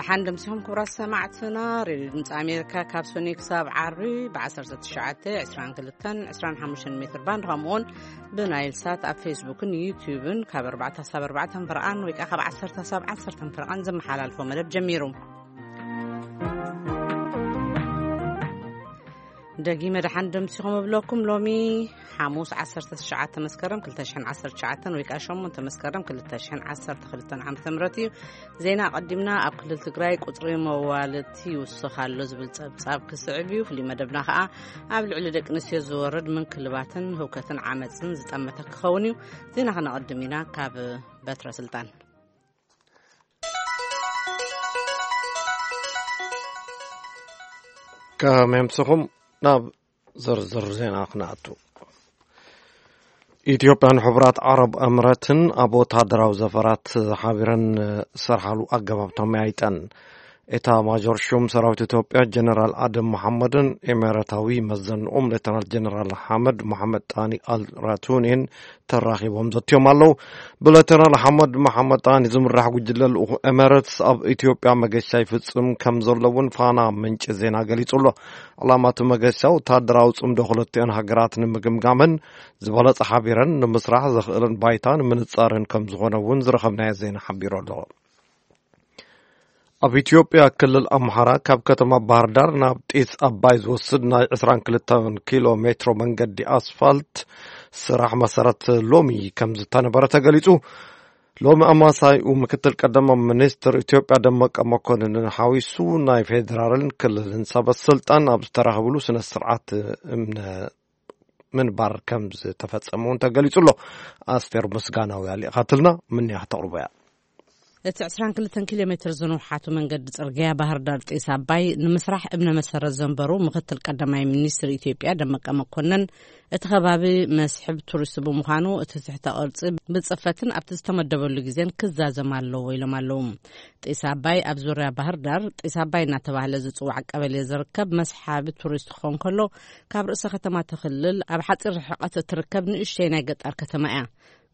ሓንደምሲኹም ክቡራት ሰማዕትና፣ ሬድዮ ድምፂ ኣሜሪካ ካብ ሰኑይ ክሳብ ዓርቢ ብ19፣ 22፣ 25 ሜትር ባንድ፣ ከምኡውን ብናይል ሳት ኣብ ፌስቡክን ዩትዩብን ካብ ኣርባዕተ ሳብ ኣርባዕተ ፈረቓን ወይ ከዓ ካብ ዓሰርተ ሳብ ዓሰርተ ፈረቓን ዝመሓላልፎ መደብ ጀሚሩ። ደጊመ ደሓን ደምሲኹም እብለኩም። ሎሚ ሓሙስ ዓሰርተ ትሽዓተ መስከረም ክልተ ሽሕን ዓሰርተ ትሽዓተን ወይ ከዓ ሸሞንተ መስከረም ክልተ ሽሕን ዓሰርተ ክልተን ዓመተ ምህረት እዩ። ዜና ኣቐዲምና። ኣብ ክልል ትግራይ ቁፅሪ መዋልድቲ ይውስኽ ኣሎ ዝብል ፀብፃብ ክስዕብ እዩ። ፍሉይ መደብና ከዓ ኣብ ልዕሊ ደቂ ኣንስትዮ ዝወርድ ምንክልባትን ህውከትን ዓመፅን ዝጠመተ ክኸውን እዩ። ዜና ከነቐድም ኢና። ካብ በትረ ስልጣን ከመይ ኣምሰኹም? ናብ ዝርዝር ዜና ክንኣቱ። ኢትዮጵያን ሕቡራት ዓረብ እምረትን ኣብ ወታደራዊ ዘፈራት ሓቢረን ዝሰርሓሉ ኣገባብ ተመያይጠን። ኤታ ማጆር ሹም ሰራዊት ኢትዮጵያ ጀነራል ኣደም መሓመድን ኤሜረታዊ መዘንኦም ሌተናል ጀነራል ሓመድ መሓመድ ጣኒ ኣል ራቱኒን ተራኺቦም ዘትዮም ኣለዉ። ብሌተናል ሓመድ መሓመድ ጣኒ ዝምራሕ ጉጅለ ልኡኽ ኤሜረትስ ኣብ ኢትዮጵያ መገሻ ይፍጽም ከም ዘሎ እውን ፋና ምንጪ ዜና ገሊጹ ኣሎ። ዕላማ እቲ መገሻ ወታደራዊ ጽምዶ ክልቲኦን ሃገራት ንምግምጋምን ዝበለጸ ሓቢረን ንምስራሕ ዘኽእለን ባይታ ንምንጻርን ከም ዝኾነ እውን ዝረኸብናዮ ዜና ሓቢሩ ኣሎ። ኣብ ኢትዮጵያ ክልል ኣምሓራ ካብ ከተማ ባህር ዳር ናብ ጢስ ኣባይ ዝወስድ ናይ ዕስራን ክልተን ኪሎ ሜትሮ መንገዲ ኣስፋልት ስራሕ መሰረት ሎሚ ከም ዝተነበረ ተገሊጹ። ሎሚ ኣማሳይኡ ምክትል ቀዳማይ ሚኒስትር ኢትዮጵያ ደመቀ መኮንንን ሓዊሱ ናይ ፌዴራልን ክልልን ሰበ ስልጣን ኣብ ዝተራኸብሉ ስነ ስርዓት እምነ ምንባር ከም ዝተፈጸመ እውን ተገሊጹ ኣሎ። ኣስቴር ምስጋናው ያሊኻትልና ምንያ ክተቕርቦ እያ። እቲ ዕስራን ክልተን ኪሎ ሜትር ዝንውሓቱ መንገዲ ጽርግያ ባህር ዳር ጢስ ኣባይ ንምስራሕ እምነ መሰረት ዘንበሩ ምክትል ቀዳማይ ሚኒስትር ኢትዮጵያ ደመቀ መኮንን፣ እቲ ከባቢ መስሕብ ቱሪስት ብምዃኑ እቲ ትሕተ ቅርጺ ብጽፈትን ኣብቲ ዝተመደበሉ ግዜን ክዛዘም ኣለዎ ኢሎም ኣለዉ። ጢስ ኣባይ ኣብ ዙርያ ባህር ዳር ጢስ ኣባይ እናተባህለ ዝጽዋዕ ቀበሌ ዝርከብ መስሓቢ ቱሪስት ክኸውን ከሎ፣ ካብ ርእሰ ከተማ እቲ ክልል ኣብ ሓጺር ርሕቐት እትርከብ ንእሽተይ ናይ ገጠር ከተማ እያ።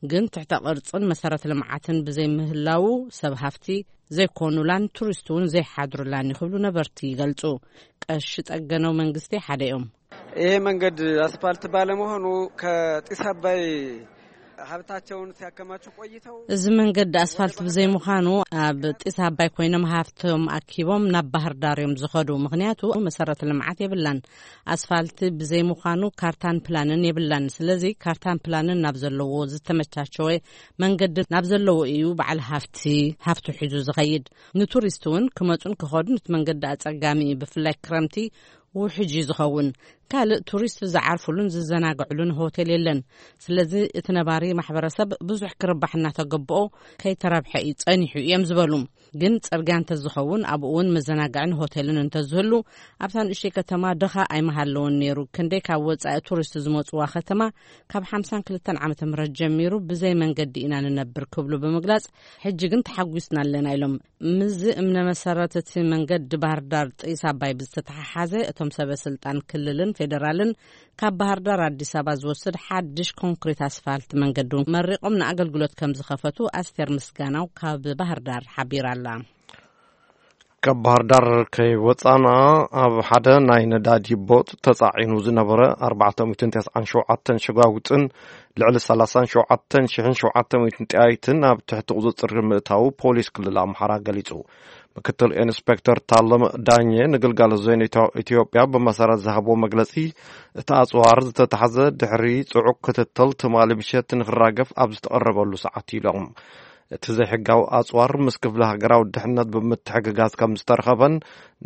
ግን ትሕተ ቅርጽን መሰረተ ልምዓትን ብዘይምህላዉ ሰብ ሃፍቲ ዘይኮኑላን ቱሪስት እውን ዘይሓድሩላን እዩ ክብሉ ነበርቲ ይገልጹ። ቀሺ ጸገነው መንግስቴ ሓደ እዮም። ይሄ መንገድ አስፋልት ባለመሆኑ ከጢስ አባይ ሀብታቸውን ሲያከማቹ ቆይተው እዚ መንገዲ ኣስፋልት ብዘይምዃኑ ኣብ ጢስ ኣባይ ኮይኖም ሃፍቶም ኣኪቦም ናብ ባህር ዳር እዮም ዝኸዱ። ምኽንያቱ መሰረተ ልምዓት የብላን። ኣስፋልት ብዘይምዃኑ ካርታን ፕላንን የብላን። ስለዚ ካርታን ፕላንን ናብ ዘለዎ ዝተመቻቸወ መንገዲ ናብ ዘለዎ እዩ በዓል ሃፍቲ ሃፍቱ ሒዙ ዝኸይድ። ንቱሪስት እውን ክመፁን ክኸዱን እቲ መንገዲ ኣፀጋሚ እዩ። ብፍላይ ክረምቲ ውሕጅ እዩ ዝኸውን። ካልእ ቱሪስት ዝዓርፍሉን ዝዘናግዕሉን ሆቴል የለን። ስለዚ እቲ ነባሪ ማሕበረሰብ ብዙሕ ክርባሕ እናተገብኦ ከይተረብሐ እዩ ጸኒሑ እዮም ዝበሉ። ግን ጽርግያ እንተዝኸውን ኣብኡ እውን መዘናግዕን ሆቴልን እንተዝህሉ ኣብታ ንእሽተይ ከተማ ድኻ ኣይምሃለውን ነይሩ። ክንደይ ካብ ወጻኢ ቱሪስት ዝመጽዋ ከተማ ካብ ሓምሳን ክልተን ዓመተ ምህረት ጀሚሩ ብዘይ መንገዲ ኢና ንነብር ክብሉ ብምግላጽ ሕጂ ግን ተሓጒስና ኣለና ኢሎም። ምስዚ እምነ መሰረት እቲ መንገዲ ባህር ዳር ጢስ ኣባይ ብዝተተሓሓዘ እቶም ሰበ ስልጣን ክልልን ፌደራልን ካብ ባህር ዳር ኣዲስ ኣበባ ዝወስድ ሓድሽ ኮንክሪት ኣስፋልት መንገዲ እውን መሪቖም ንኣገልግሎት ከም ዝኸፈቱ ኣስቴር ምስጋናው ካብ ባህር ዳር ሓቢራ ኣላ። ካብ ባህር ዳር ከይወጻና ኣብ ሓደ ናይ ነዳዲ ቦጥ ተጻዒኑ ዝነበረ ኣርባዕተ ሚእትን ተስዓን ሸውዓተን ሸጓጉጥን ልዕሊ ሰላሳን ሸውዓተን ሽሕን ሸውዓተ ሚእትን ጥያይትን ኣብ ትሕቲ ቁጽጽር ምእታዉ ፖሊስ ክልል ኣምሓራ ገሊጹ። ምክትል ኢንስፔክተር ታለም ዳኘ ንግልጋሎት ዜና ኢትዮ-፣ ኢትዮጵያ ብመሰረት ዝሃብዎ መግለጺ፣ እቲ ኣጽዋር ዝተታሕዘ ድሕሪ ጽዑቕ ክትትል ትማሊ ምሸት ንክራገፍ ኣብ ዝተቐረበሉ ሰዓት ኢሎም። እቲ ዘይሕጋዊ ኣጽዋር ምስ ክፍሊ ሃገራዊ ድሕነት ብምትሕግጋዝ ከም ዝተረኸበን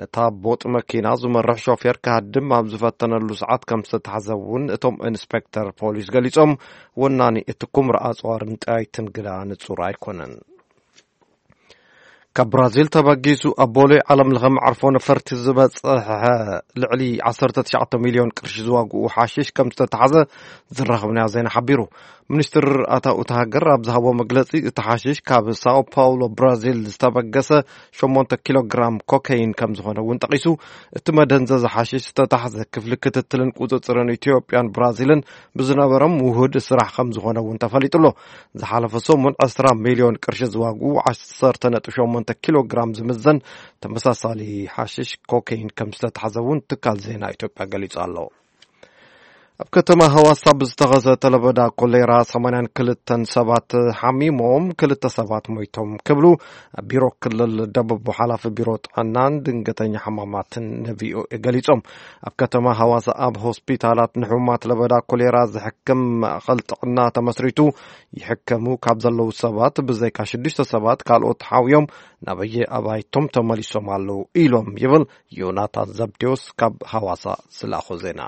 ነታ ቦጥ መኪና ዝመርሕ ሾፌር ክሃድም ኣብ ዝፈተነሉ ሰዓት ከም ዝተታሕዘ እውን እቶም ኢንስፔክተር ፖሊስ ገሊጾም። ወናኒ እቲ ኩምራ ኣጽዋርን ጥያይትን ግና ንጹር ኣይኮነን። ካብ ብራዚል ተበጊሱ ኣብ ቦሌ ዓለም ለኸ መዕርፎ ነፈርቲ ዝበጽሐ ልዕሊ ዓሰርተ ትሽዓተ ሚልዮን ቅርሺ ዝዋግኡ ሓሽሽ ከም ዝተታሕዘ ዝረኸብናዮ ዜና ሓቢሩ። ሚኒስትር ኣታዊ እታ ሃገር ኣብ ዝሃቦ መግለጺ፣ እቲ ሓሽሽ ካብ ሳኦ ፓውሎ ብራዚል ዝተበገሰ ሸሞንተ ኪሎ ግራም ኮካይን ከም ዝኾነ እውን ጠቒሱ፣ እቲ መደንዘዚ ሓሽሽ ዝተታሕዘ ክፍሊ ክትትልን ቁጽጽርን ኢትዮጵያን ብራዚልን ብዝነበሮም ውሁድ ስራሕ ከም ዝኾነ እውን ተፈሊጡ ኣሎ። ዝሓለፈ ሰሙን ዕስራ ሚልዮን ቅርሺ ዝዋግኡ ዓሰርተ ነጥቢ ሸሞንተ ኪሎግራም ዝምዘን ተመሳሳሊ ሓሽሽ ኮኬይን ከም ዝተታሕዘ እውን ትካል ዜና ኢትዮጵያ ገሊጹ ኣሎ። ኣብ ከተማ ሃዋሳ ብዝተኸሰተ ለበዳ ኮሌራ ሰማንያን ክልተን ሰባት ሓሚሞም፣ ክልተ ሰባት ሞይቶም ክብሉ ቢሮ ክልል ደቡብ ሓላፊ ቢሮ ጥዕናን ድንገተኛ ሕማማትን ንቪኦኤ ገሊጾም። ኣብ ከተማ ሃዋሳ ኣብ ሆስፒታላት ንሕሙማት ለበዳ ኮሌራ ዝሕክም ማእኸል ጥዕና ተመስሪቱ ይሕከሙ ካብ ዘለዉ ሰባት ብዘይካ ሽዱሽተ ሰባት ካልኦት ሓውዮም ናበየ ኣባይቶም ተመሊሶም ኣለዉ ኢሎም ይብል ዮናታን ዘብዴዎስ ካብ ሃዋሳ ዝለኣኾ ዜና።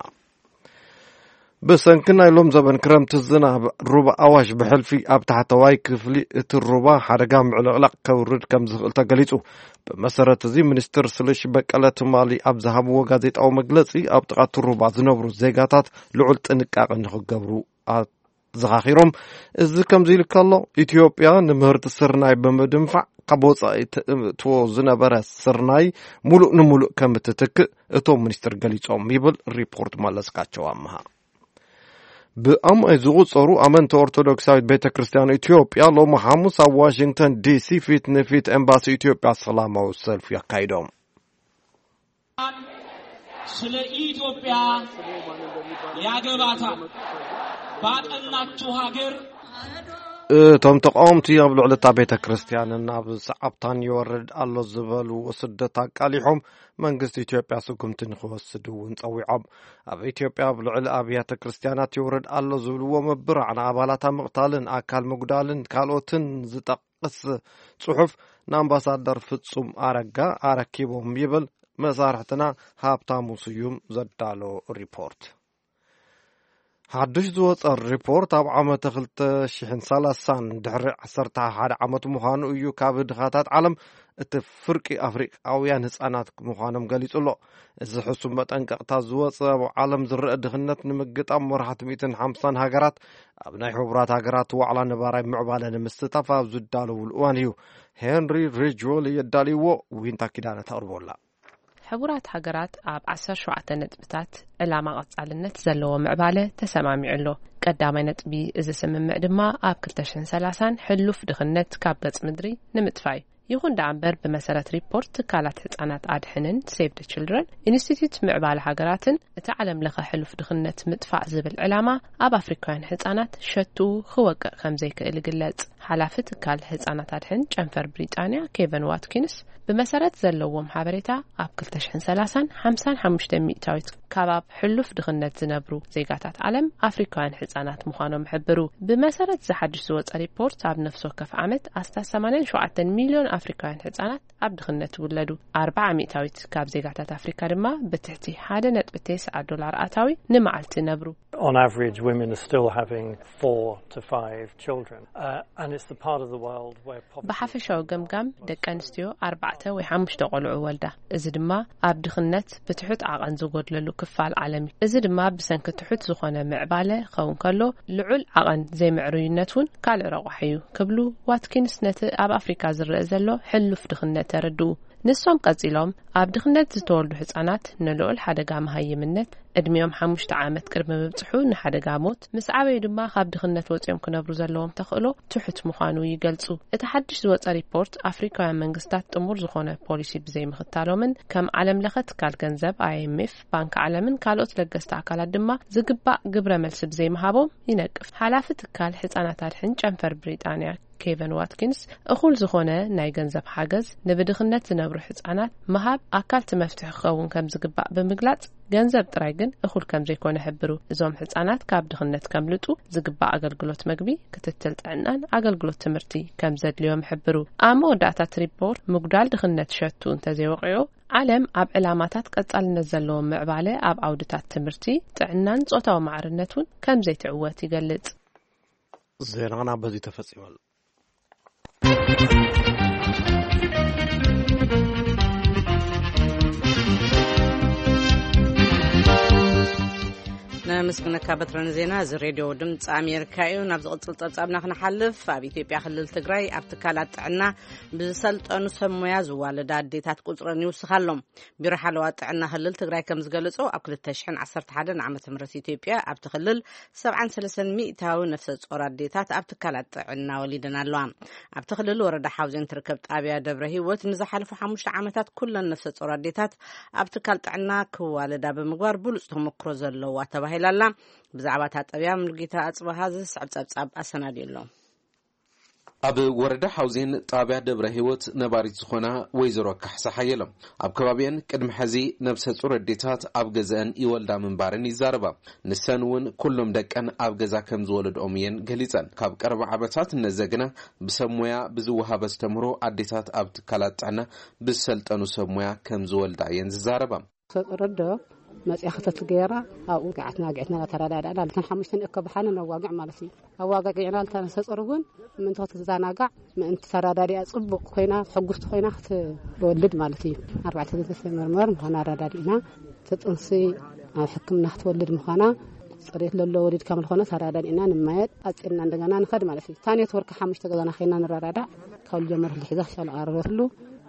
ብሰንኪ ናይ ሎም ዘበን ክረምቲ ዝናብ ሩባ ኣዋሽ ብሕልፊ ኣብ ታሕተዋይ ክፍሊ እቲ ሩባ ሓደጋ ምዕልቕላቕ ከውርድ ከም ዝኽእል ተገሊጹ። ብመሰረት እዚ ሚኒስትር ስለሺ በቀለ ትማሊ ኣብ ዝሃብዎ ጋዜጣዊ መግለጺ ኣብ ጥቓ እቲ ሩባ ዝነብሩ ዜጋታት ልዑል ጥንቃቐ ንኽገብሩ ኣዘኻኺሮም። እዚ ከምዚ ኢሉ ከሎ ኢትዮጵያ ንምህርቲ ስርናይ ብምድንፋዕ ካብ ወጻኢ ትእትዎ ዝነበረ ስርናይ ሙሉእ ንሙሉእ ከም እትትክእ እቶም ሚኒስትር ገሊጾም ይብል ሪፖርት መለስካቸው ኣምሃ። ብኣማይ ዝቑጸሩ ኣመንቲ ኦርቶዶክሳዊት ቤተ ክርስቲያን ኢትዮጵያ ሎሚ ሓሙስ ኣብ ዋሽንግተን ዲሲ ፊት ንፊት ኤምባሲ ኢትዮጵያ ሰላማዊ ሰልፊ ኣካይዶም። ስለ ኢትዮጵያ ያገባታል ባቀናችሁ ሀገር። እቶም ተቃወምቲ ኣብ ልዕሊ እታ ቤተ ክርስቲያንን ኣብ ሰዓብታን ይወርድ ኣሎ ዝበልዎ ስደት ኣቃሊሖም መንግስቲ ኢትዮጵያ ስጉምቲ ንክወስድ እውን ጸዊዖም። ኣብ ኢትዮጵያ ኣብ ልዕሊ ኣብያተ ክርስቲያናት ይወርድ ኣሎ ዝብልዎ ምብራዕ ንኣባላታ ምቕታልን ኣካል ምጉዳልን ካልኦትን ዝጠቅስ ጽሑፍ ንኣምባሳደር ፍጹም ኣረጋ ኣረኪቦም ይብል መሳርሕትና ሃብታሙ ስዩም ዘዳሎ ሪፖርት። ሓድሽ ዝወጸ ሪፖርት ኣብ ዓመተ ክልተ ሽሕን ሰላሳን ድሕሪ ዓሰርተ ሓደ ዓመት ምዃኑ እዩ ካብ ድኻታት ዓለም እቲ ፍርቂ ኣፍሪቃውያን ህጻናት ምዃኖም ገሊጹ ኣሎ። እዚ ሕሱም መጠንቀቕታ ዝወጸ ኣብ ዓለም ዝረአ ድኽነት ንምግጣም ወርሓት ሚእትን ሓምሳን ሃገራት ኣብ ናይ ሕቡራት ሃገራት ዋዕላ ነባራይ ምዕባለ ንምስታፍ ኣብ ዝዳለውሉ እዋን እዩ። ሄንሪ ሪጅወል የዳልይዎ፣ ዊንታ ኪዳነ ተቕርቦላ። ሕቡራት ሃገራት ኣብ ዓሰርተ ሸውዓተ ነጥብታት ዕላማ ቀጻልነት ዘለዎ ምዕባለ ተሰማሚዑ ኣሎ። ቀዳማይ ነጥቢ እዚ ስምምዕ ድማ ኣብ ክልተ ሽሕን ሰላሳን ሕሉፍ ድኽነት ካብ ገጽ ምድሪ ንምጥፋእ እዩ። ይኹን ደኣ እምበር፣ ብመሰረት ሪፖርት ትካላት ህጻናት ኣድሕንን ሴቭ ደ ችልድረን፣ ኢንስቲትዩት ምዕባለ ሃገራትን፣ እቲ ዓለም ለኸ ሕሉፍ ድኽነት ምጥፋእ ዝብል ዕላማ ኣብ ኣፍሪካውያን ህጻናት ሸቱ ክወቅዕ ከም ዘይክእል ይግለጽ። ሓላፊ ትካል ህጻናት ኣድሕን ጨንፈር ብሪጣንያ ኬቨን ዋትኪንስ፣ ብመሰረት ዘለዎም ሓበሬታ ኣብ ክልተ ሽሕን ሰላሳን ሓምሳን ሓሙሽተ ሚእታዊት ካብ ኣብ ሕሉፍ ድኽነት ዝነብሩ ዜጋታት ዓለም ኣፍሪካውያን ህጻናት ምዃኖም ይሕብሩ። ብመሰረት እዚ ሓድሽ ዝወጸ ሪፖርት፣ ኣብ ነፍሲ ወከፍ ዓመት ኣስታት ሰማንያን ሸውዓተን ሚልዮን ኣፍሪካውያን ህጻናት ኣብ ድኽነት ይውለዱ። ኣርብዓ ሚእታዊት ካብ ዜጋታት ኣፍሪካ ድማ ብትሕቲ ሓደ ነጥቢ ተስዓ ዶላር ኣታዊ ንመዓልቲ ይነብሩ። On average, women are still having four to five children, uh, and it's the part of the world where poverty ብሓፈሻዊ ገምጋም ደቂ ኣንስትዮ ኣርባዕተ ወይ ሓሙሽተ ቆልዑ ወልዳ። እዚ ድማ ኣብ ድኽነት ብትሑት ዓቐን ዝጎድለሉ ክፋል ዓለም እዩ። እዚ ድማ ብሰንኪ ትሑት ዝኾነ ምዕባለ ክኸውን ከሎ፣ ልዑል ዓቐን ዘይምዕሩይነት እውን ካልእ ረቋሒ እዩ ክብሉ ዋትኪንስ ነቲ ኣብ ኣፍሪካ ዝረአ ዘሎ ሕሉፍ ድኽነት የረድኡ። ንሶም ቀጺሎም፣ ኣብ ድኽነት ዝተወልዱ ህጻናት ንልዑል ሓደጋ መሃይምነት፣ ዕድሚኦም ሓሙሽተ ዓመት ቅድሚ ምብጽሑ ንሓደጋ ሞት፣ ምስ ዓበዩ ድማ ካብ ድኽነት ወጺኦም ክነብሩ ዘለዎም ተኽእሎ ትሑት ምዃኑ ይገልጹ። እቲ ሓድሽ ዝወጸ ሪፖርት፣ ኣፍሪካውያን መንግስታት ጥሙር ዝኾነ ፖሊሲ ብዘይምኽታሎምን ከም ዓለም ለኸ ትካል ገንዘብ ኣይ ኤም ኤፍ፣ ባንክ ዓለምን ካልኦት ለገስቲ ኣካላት ድማ ዝግባእ ግብረ መልሲ ብዘይምሃቦም ይነቅፍ። ሓላፊ ትካል ህጻናት ኣድሕን ጨንፈር ብሪጣንያ ኬቨን ዋትኪንስ፣ እኹል ዝኾነ ናይ ገንዘብ ሓገዝ ንብድኽነት ዝነብሩ ህጻናት ምሃብ ኣካል እቲ መፍትሒ ክኸውን ከም ዝግባእ ብምግላጽ፣ ገንዘብ ጥራይ ግን እኹል ከም ዘይኮነ ሕብሩ። እዞም ህጻናት ካብ ድኽነት ከምልጡ ዝግባእ ኣገልግሎት መግቢ፣ ክትትል ጥዕናን ኣገልግሎት ትምህርቲ ከም ዘድልዮም ሕብሩ። ኣብ መወዳእታ እቲ ሪፖርት፣ ምጉዳል ድኽነት ሸቱ እንተዘይወቂዑ፣ ዓለም ኣብ ዕላማታት ቀጻልነት ዘለዎም ምዕባለ ኣብ ዓውድታት ትምህርቲ፣ ጥዕናን ጾታዊ ማዕርነት እውን ከም ዘይትዕወት ይገልጽ። ዜናና በዚ ተፈጺሙ ኣሎ። ናይ ምስግነካ በትረን ዜና። እዚ ሬድዮ ድምፂ ኣሜሪካ እዩ። ናብ ዝቕፅል ፀብፃብና ክንሓልፍ፣ ኣብ ኢትዮጵያ ክልል ትግራይ ኣብ ትካላት ጥዕና ብዝሰልጠኑ ሰብ ሞያ ዝዋለዳ ኣዴታት ቁፅረን ይውስኽ ኣሎ። ቢሮ ሓለዋ ጥዕና ክልል ትግራይ ከም ዝገለጾ፣ ኣብ ክልተ ሽሕን ዓሰርተ ሓደን ዓመተ ምህረት ኢትዮጵያ ኣብቲ ክልል ሰብዓን ሰለስተን ሚእታዊ ነፍሰ ጾር ኣዴታት ኣብ ትካላት ጥዕና ወሊደን ኣለዋ። ኣብቲ ክልል ወረዳ ሓውዜን ትርከብ ጣብያ ደብረ ህይወት ንዝሓለፉ ሓሙሽተ ዓመታት ኩለን ነፍሰ ጾር ኣዴታት ኣብ ትካል ጥዕና ክዋለዳ ብምግባር ብሉጽ ተመክሮ ዘለዋ ተባሂላ ኣላ። ብዛዕባ እታ ጣብያ ሙሉጌታ ኣጽበሃ ዝስዕብ ጸብጻብ ኣሰናድዩ ኣሎ። ኣብ ወረዳ ሓውዜን ጣብያ ደብረ ህይወት ነባሪት ዝኾና ወይዘሮ ካሕሳ ሓየሎም፣ ኣብ ከባቢአን ቅድሚ ሕዚ ነብሰ ጹር ኣዴታት ኣብ ገዛአን ይወልዳ ምንባረን ይዛረባ። ንሰን እውን ኩሎም ደቀን ኣብ ገዛ ከም ዝወለድኦም እየን ገሊጸን። ካብ ቀረባ ዓመታት ነዘ ግና ብሰብ ሞያ ብዝወሃብ ኣስተምህሮ ኣዴታት ኣብ ትካላት ጥዕና ብዝሰልጠኑ ሰብ ሞያ ከም ዝወልዳ እየን ዝዛረባ። ሰጥረዶ መጽያ ከተትገራ ኣብኡ ገዓትና ገዕትና ተረዳዳእና። ልተን ሓሙሽተን እከ ብሓነ ነዋግዕ ማለት እዩ። ኣዋጋጊዕና ልታ ነፍሰ ጾር እውን ምእንቲ ክትዘናጋዕ፣ ምእንቲ ተረዳዲኣ ጽቡቕ ኮይና፣ ሕጉስቲ ኮይና ክትወልድ ማለት እዩ። ኣርባዕተ ግዜ ተመርመር ምዃና ኣረዳዲእና፣ እቲ ጥንሲ ኣብ ሕክምና ክትወልድ ምዃና፣ ጽሬት ለሎ ወሊድካ ምልኾነ ተረዳዲእና፣ ንማየጥ ኣጺልና እንደገና ንኸድ ማለት እዩ። እታ ኔትወርክ ሓሙሽተ ገዛና ኸይና ንረዳዳእ፣ ካብ ልጀመር ልሒዛ ክሻል ኣረረትሉ፣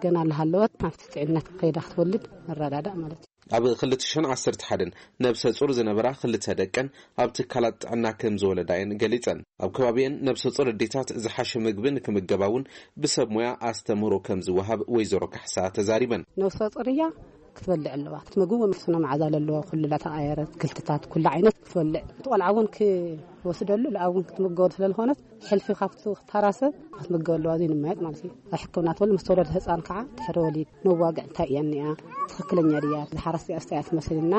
ገና ኣለሃለወት፣ ኣብቲ ጥዕነት ከይዳ ክትወልድ ንረዳዳእ ማለት እዩ። ኣብ ክልተ ሽሕን ዓሰርተ ሓደን ነብሰ ጹር ዝነበራ ክልተ ደቀን ኣብ ትካላት ጥዕና ከም ዝወለዳ እየን ገሊጸን። ኣብ ከባቢአን ነብሰ ጹር ኣዴታት ዝሓሸ ምግቢ ንክምገባ እውን ብሰብ ሞያ ኣስተምህሮ ከም ዝወሃብ ወይዘሮ ካሕሳ ተዛሪበን። ነብሰ ጹር እያ ክትበልዕ ኣለዋ። እቲ ምግቢ እውን ስነ መዓዛ ዘለዎ ኩሉ ላተቐያየረት፣ ኣትክልትታት፣ ኩሉ ዓይነት ክትበልዕ። እቲ ቆልዓ እውን ክወስደሉ፣ ልኣ እውን ክትምገበሉ ስለ ዝኾነት፣ ሕልፊ ካብቲ ተራ ሰብ ክትምገብ ኣለዋ፣ እዚ ንማየጥ ማለት እዩ። ኣብ ሕክምና ትበል ምስ ተወለደ ህፃን ከዓ ድሕሪ ወሊድ ነዋግዕ እንታይ እያ እኒኣ፣ ትኽክለኛ ድያ፣ ዝሓረስ ድያ፣ ኣስተያ ትመስልና፣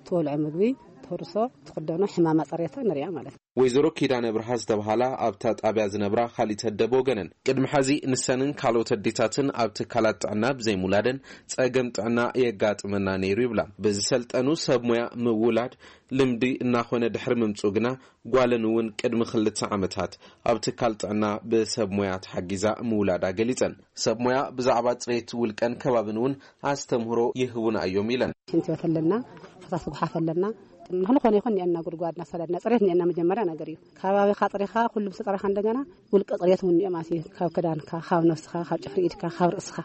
ትበልዖ ምግቢ፣ ትህርሶ፣ ትኽደኖ፣ ሕማማ፣ ፅሬታ ንሪኣ ማለት እዩ። ወይዘሮ ኪዳነ ብርሃ ዝተብሃላ ኣብታ ጣብያ ዝነብራ ካሊት ኣደ ብወገነን፣ ቅድሚ ሐዚ ንሰንን ካልኦት ኣዴታትን ኣብ ትካላት ጥዕና ብዘይምውላደን ፀገም ጥዕና የጋጥመና ነይሩ ይብላ። ብዝሰልጠኑ ሰብ ሞያ ምውላድ ልምዲ እናኾነ ድሕሪ ምምፁ ግና፣ ጓለን እውን ቅድሚ ክልተ ዓመታት ኣብ ትካል ጥዕና ብሰብ ሞያ ተሓጊዛ ምውላዳ ገሊጸን። ሰብ ሞያ ብዛዕባ ጽሬት ውልቀን ከባብን እውን ኣስተምህሮ ይህቡና እዮም ኢለን። ሽንቲ ቤት ኣለና፣ ፈሳሲ ጉሓፍ ኣለና። ዝኾነ ይኹን እኒአና ጉድጓድ እናሰደድና፣ ጽሬት እኒአና መጀመርያ ነገር እዩ። ከባቢኻ ጽሪኻ፣ ኩሉ ምስ ጸረኻ እንደገና ውልቀ ጽሬት እውን እኒኦ ማለት እዩ። ካብ ክዳንካ፣ ካብ ነብስኻ፣ ካብ ጭፍሪ ኢድካ፣ ካብ ርእስኻ።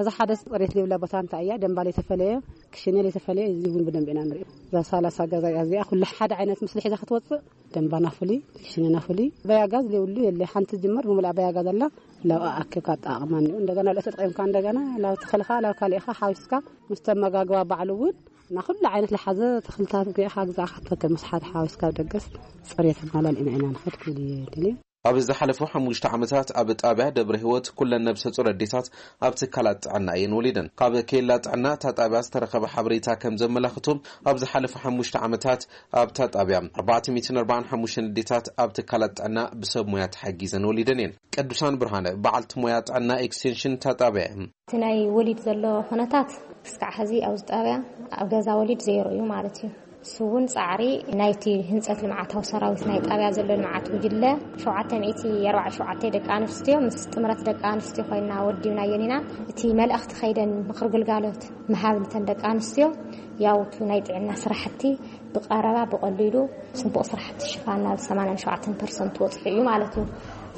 እዛ ሓደ ጽሬት ዘይብላ ቦታ እንታይ እያ? ደንባል የተፈለየ፣ ክሽኔል የተፈለየ፣ እዚ እውን ብደንብ ኢና ንሪኦ። እዛ ሰላሳ ገዛ እያ እዚኣ፣ ኩሉ ሓደ ዓይነት ምስሊ ሒዛ ክትወጽእ፣ ደንባና ፍሉይ፣ ክሽንና ፍሉይ። በያጋዝ ዘይብሉ የለ። ሓንቲ ጅመር ብምልኣ በያጋዝ ኣላ። ላብኣ ኣኪብካ ኣጠቓቕማ እኒኦ። እንደገና ልእቲ ጥቒምካ እንደገና ላብ ተኽልኻ፣ ላብ ካልእኻ ሓዊስካ ምስ ተመጋግባ ባዕሉ እውን እና ኩሉ ዓይነት ዝሓዘ ተኽልታት ገይኻ ግዛእኻ ትፈክር ምስ ሓደ ሓዊስካ ኣብ ደገስ ጽሬት ማላል ኢና ኢና ንኸድ ክብል እየ ድልየ። ኣብ ዝሓለፉ ሓሙሽተ ዓመታት ኣብ ጣብያ ደብረ ህይወት ኩለን ነብሰ ጹር ኣዴታት ኣብ ትካላት ጥዕና እየን ወሊደን። ካብ ኬላ ጥዕና እታ ጣብያ ዝተረኸበ ሓበሬታ ከም ዘመላኽቶ፣ ኣብ ዝሓለፉ ሓሙሽተ ዓመታት ኣብታ ጣብያ ኣርባዕተ ሚእትን ኣርባዓን ሓሙሽተን ኣዴታት ኣብ ትካላት ጥዕና ብሰብ ሞያ ተሓጊዘን ወሊደን እየን። ቅዱሳን ብርሃነ በዓልቲ ሞያ ጥዕና ኤክስቴንሽን እታ ጣብያ እያ። እቲ ናይ ወሊድ ዘሎ ኩነታት ክስካዕ ሕዚ ኣብዚ ጣብያ ኣብ ገዛ ወሊድ ዜሮ እዩ ማለት እዩ። እሱ እውን ጻዕሪ ናይቲ ህንጸት ልምዓታዊ ሰራዊት ናይ ጣብያ ዘሎ ልምዓት ጉጅለ ሸውዓተ ሚእቲ ኣርባዕተ ሸውዓተ ደቂ ኣንስትዮ ምስ ጥምረት ደቂ ኣንስትዮ ኮይና ወዲብናየን ኢና። እቲ መልእኽቲ ከይደን ምኽሪ ግልጋሎት ምሃብ ንተን ደቂ ኣንስትዮ ያው እቲ ናይ ጥዕና ስራሕቲ ብቐረባ ብቐሊሉ ጽቡቕ ስራሕቲ ሽፋን ናብ ሰማንያን ሸውዓተን ፐርሰንት ወጽሑ እዩ ማለት እዩ።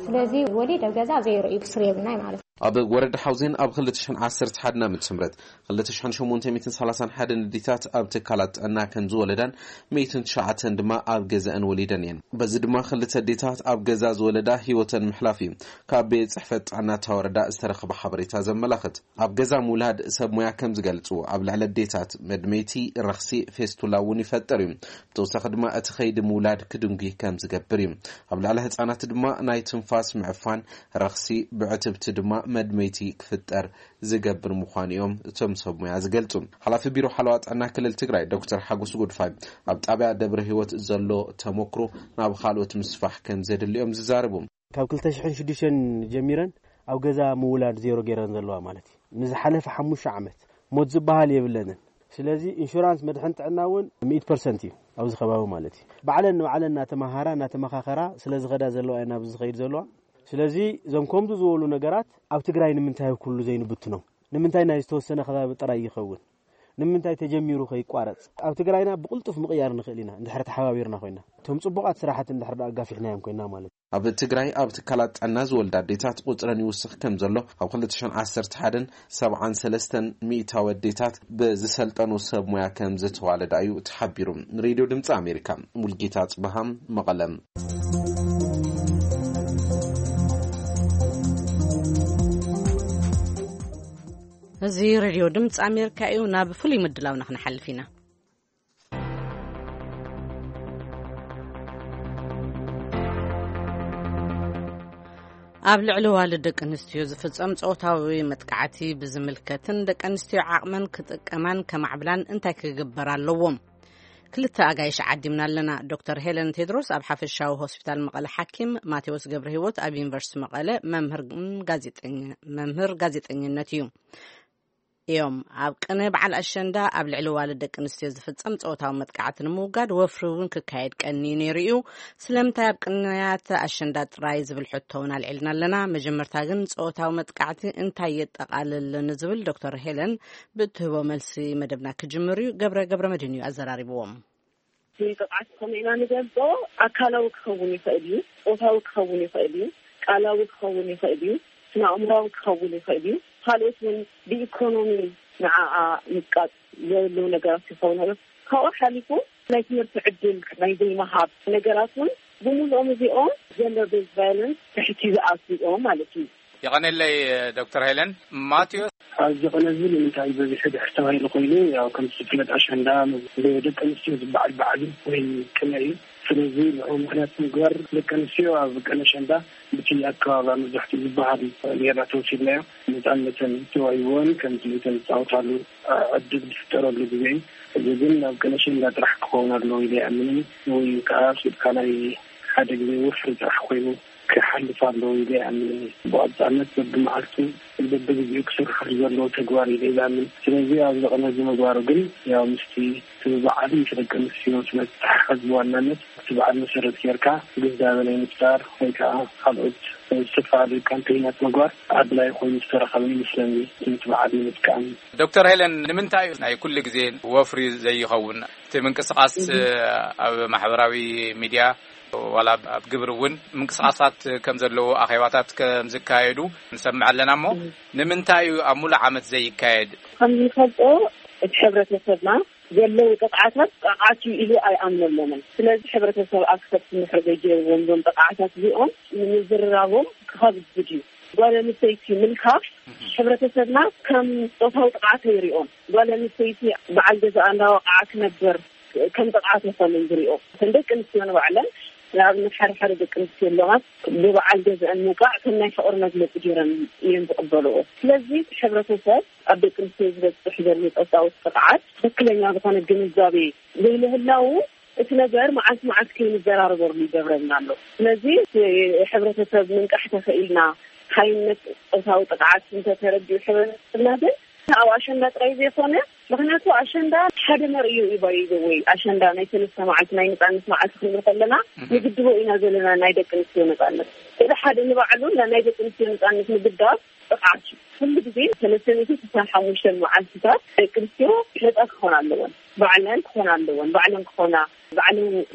ስለዚ ወሊድ ኣብ ገዛ ዜሮ እዩ ብስሩ የብልናይ ማለት እዩ። ኣብ ወረዳ ሓውዜን ኣብ ክልተ ሽሕን ዓሰርተ ሓደን ዓመተ ምህረት ክልተ ሽሕን ሸሞንተ ሚእትን ሰላሳን ሓደን ኣዴታት ኣብ ትካላት ጥዕና ከም ዝወለዳን ሚእትን ትሽዓተን ድማ ኣብ ገዛእን ወሊደን እየን። በዚ ድማ ክልተ ኣዴታት ኣብ ገዛ ዝወለዳ ህይወተን ምሕላፍ እዩ ካብ ቤት ጽሕፈት ጥዕና እታ ወረዳ ዝተረኸበ ሓበሬታ ዘመላኽት። ኣብ ገዛ ምውላድ ሰብ ሞያ ከም ዝገልጹ ኣብ ልዕሊ ኣዴታት መድመይቲ፣ ረኽሲ፣ ፌስቱላ እውን ይፈጥር እዩ። ብተወሳኺ ድማ እቲ ከይዲ ምውላድ ክድንጉይ ከም ዝገብር እዩ። ኣብ ልዕሊ ህጻናት ድማ ናይ ትንፋስ ምዕፋን፣ ረኽሲ፣ ብዕትብቲ ድማ መድመይቲ ክፍጠር ዝገብር ምዃኑ እዮም እቶም ሰብ ሞያ ዝገልጹ። ሓላፊ ቢሮ ሓለዋ ጥዕና ክልል ትግራይ ዶክተር ሓጎስ ጉድፋይ ኣብ ጣብያ ደብረ ህይወት ዘሎ ተመክሮ ናብ ካልኦት ምስፋሕ ከም ዘድልዮም ዝዛረቡ። ካብ ክልተ ሽሕን ሽዱሽተን ጀሚረን ኣብ ገዛ ምውላድ ዜሮ ገይረን ዘለዋ ማለት እዩ። ንዝሓለፈ ሓሙሽተ ዓመት ሞት ዝበሃል የብለንን። ስለዚ ኢንሹራንስ መድሕን ጥዕና እውን ሚእቲ ፐርሰንት እዩ ኣብዚ ከባቢ ማለት እዩ። ባዕለን ንባዕለን እናተመሃራ እናተመኻኸራ ስለ ዝኸዳ ዘለዋ እየን ኣብዚ ዝኸይድ ዘለዋ። ስለዚ እዞም ከምዚ ዝበሉ ነገራት ኣብ ትግራይ ንምንታይ ኩሉ ዘይንብትኖም? ንምንታይ ናይ ዝተወሰነ ከባቢ ጥራይ ይኸውን? ንምንታይ ተጀሚሩ ከይቋረጽ? ኣብ ትግራይና ብቕልጡፍ ምቕያር ንኽእል ኢና፣ እንድሕር ተሓባቢርና ኮይና። እቶም ጽቡቓት ስራሓት እንድሕር ደኣ ኣጋፊሕናዮም ኮይና ማለት እዩ። ኣብ ትግራይ ኣብ ትካላት ጥዕና ዝወልዳ ኣዴታት ቁጽረን ይውስኽ ከም ዘሎ፣ ካብ ክልተ ሽሕን ዓሰርተ ሓደን ሰብዓን ሰለስተን ሚእታዊ ኣዴታት ብዝሰልጠኑ ሰብ ሞያ ከም ዝተዋለዳ እዩ ተሓቢሩ። ንሬድዮ ድምፂ ኣሜሪካ ሙልጌታ ጽበሃም መቐለም። እዚ ሬድዮ ድምፂ ኣሜሪካ እዩ። ናብ ፍሉይ ምድላውና ክንሓልፍ ኢና። ኣብ ልዕሊ ዋልድ ደቂ ኣንስትዮ ዝፍጸም ጾታዊ መጥቃዕቲ ብዝምልከትን ደቂ ኣንስትዮ ዓቕመን ክጥቀማን ከማዕብላን እንታይ ክግበር ኣለዎም? ክልተ ኣጋይሽ ዓዲምና ኣለና። ዶክተር ሄለን ቴድሮስ ኣብ ሓፈሻዊ ሆስፒታል መቐለ ሓኪም፣ ማቴዎስ ገብረ ህይወት ኣብ ዩኒቨርሲቲ መቐለ መምህር ጋዜጠኝ-፣ መምህር ጋዜጠኝነት እዩ። እዮም። ኣብ ቅነ በዓል ኣሸንዳ ኣብ ልዕሊ ዋልድ ደቂ ኣንስትዮ ዝፍጸም ጾታዊ መጥቃዕቲ ንምውጋድ ወፍሪ እውን ክካየድ ቀንዩ ነይሩ እዩ። ስለምንታይ ኣብ ቅንያት ኣሸንዳ ጥራይ ዝብል ሕቶ እውን ኣልዒልና ኣለና። መጀመርታ ግን ጾታዊ መጥቃዕቲ እንታይ የጠቓልል ንዝብል ዶክተር ሄለን ብእትህቦ መልሲ መደብና ክጅምር እዩ። ገብረ ገብረ መድህን እዩ ኣዘራሪብዎም። ንጥቕዓት ከመይ ኢና ንገልጾ? ኣካላዊ ክኸውን ይኽእል እዩ፣ ጾታዊ ክኸውን ይኽእል እዩ፣ ቃላዊ ክኸውን ይኽእል እዩ፣ ስነ ኣእምራዊ ክኸውን ይኽእል እዩ። ካልኦት እውን ብኢኮኖሚ ንዓኣ ምቃጥ ዘለዉ ነገራት ይኸውን። ካብኡ ሓሊፉ ናይ ትምህርቲ ዕድል ናይ ዘይምሃብ ነገራት እውን ብምሉኦም እዚኦም ጀንደር ቤዝድ ቫዮለንስ ትሕቲ ዝኣትዉ እዮም ማለት እዩ። የቐነለይ ዶክተር ሄለን። ማቴዎስ። ኣብዚ ቅነ እዚ ንምንታይ በዚሑ ድሕር ተባሂሉ ኮይኑ፣ ያው ከምቲ ዝፍለጥ ኣሸንዳ ደቂ ኣንስትዮ ዝበዓል በዓል ወይ ቅነ እዩ። ስለዚ ንዕኡ ምክንያት ምግባር ደቂ ኣንስትዮ ኣብ ቅነ ኣሸንዳ ብቲ ኣከባብራ መብዛሕትኡ ዝበሃል ጌርና ተወሲድናዮ። ነፃነተን ተዋሂብወን ከም ድሌተን ዝፃወታሉ ዕድል ዝፍጠረሉ ግዜ እዩ። እዚ ግን ኣብ ቅነ ኣሸንዳ ጥራሕ ክኸውን ኣለዎ ኢለ ይኣምን ወይ ከዓ ስብካ ናይ ሓደ ግዜ ወፍሪ ጥራሕ ኮይኑ ክሓልፍ ኣለዎ ኢለ ይኣምን። ብቐፃልነት በብመዓልቱ በብግዜኡ ክስርሐሉ ዘለዎ ተግባር ኢለ ይኣምን። ስለዚ ኣብዚ ቅነ እዚ ምግባሩ ግን ያው ምስቲ እቲ በዓል ምስ ደቂ ኣንስትዮ ስለ ዝተሓሓዝ ብዋናነት እቲ በዓል መሰረት ጌርካ ግንዛበ ናይ ምፍጣር ወይ ከዓ ካልኦት ዝተፈላለዩ ካምፔይናት ምግባር ኣድላይ ኮይኑ ዝተረኸበ ይመስለኒ። ነቲ በዓል ንምጥቃም ዶክተር ሄለን ንምንታይ እዩ ናይ ኩሉ ግዜ ወፍሪ ዘይኸውን? እቲ ምንቅስቃስ ኣብ ማሕበራዊ ሚድያ ዋላ ኣብ ግብሪ እውን ምንቅስቃሳት ከም ዘለዉ ኣኼባታት ከም ዝካየዱ ንሰምዕ ኣለና እሞ ንምንታይ እዩ ኣብ ሙሉእ ዓመት ዘይካየድ? ከም ንፈልጦ እቲ ሕብረተሰብና ዘለዉ ጥቕዓታት ጥቕዓት እዩ ኢሉ ኣይኣምነሎምን። ስለዚ ሕብረተሰብ ኣክሰፕት እንድሕር ዘይገይርዎም እዞም ጥቕዓታት እዚኦም ንምዝርራቦም ክኸብድ እዩ። ጓል ኣንስተይቲ ምልካፍ ሕብረተሰብና ከም ፆታዊ ጥቕዓት ኣይሪኦን። ጓል ኣንስተይቲ በዓል ገዛኣ እንዳወቕዓ ክነብር ከም ጥቕዓት ኣይኮነን ዝሪኦ። እተን ደቂ ኣንስትዮ ንባዕለን ንኣብነት ሓደ ሓደ ደቂ ኣንስትዮ ኣለዋት ብበዓል ገዝአን ምውቃዕ ከም ናይ ፍቕሪ መግለፂ ገይረን እየን ዝቕበልኦ። ስለዚ እቲ ሕብረተሰብ ኣብ ደቂ ኣንስትዮ ዝበፅሕ ዘሎ ፆታዊ ጥቕዓት ትኽክለኛ ዝኾነ ግንዛቤ ዘይምህላዉ እቲ ነገር መዓልቲ መዓልቲ ከይንዘራረበሉ ይገብረና ኣሎ። ስለዚ እቲ ሕብረተሰብ ምንቃሕ ተኽኢልና ሓይነት ፆታዊ ጥቕዓት እንተተረዲኡ ሕብረተሰብና ግን ኣብ ኣሸንዳ ጥራይ ዘይኮነ ምክንያቱ ኣሸንዳ ሓደ መርእዩ እዩ ባይ ዘ ወይ ኣሸንዳ ናይ ሰለስተ መዓልቲ ናይ ነፃነት መዓልቲ ክንብል ከለና ንግድቦ ኢና ዘለና ናይ ደቂ ኣንስትዮ ነፃነት እቲ ሓደ ንባዕሉ ናይ ደቂ ኣንስትዮ ነፃነት ምግዳብ ጥቕዓት እዩ። ኩሉ ግዜ ሰለስተ ሚእቲ ስሳን ሓሙሽተን መዓልትታት ደቂ ኣንስትዮ ነፃ ክኾና ኣለወን። ባዕለን ክኾና ኣለወን። ባዕለን ክኾና ባዕለን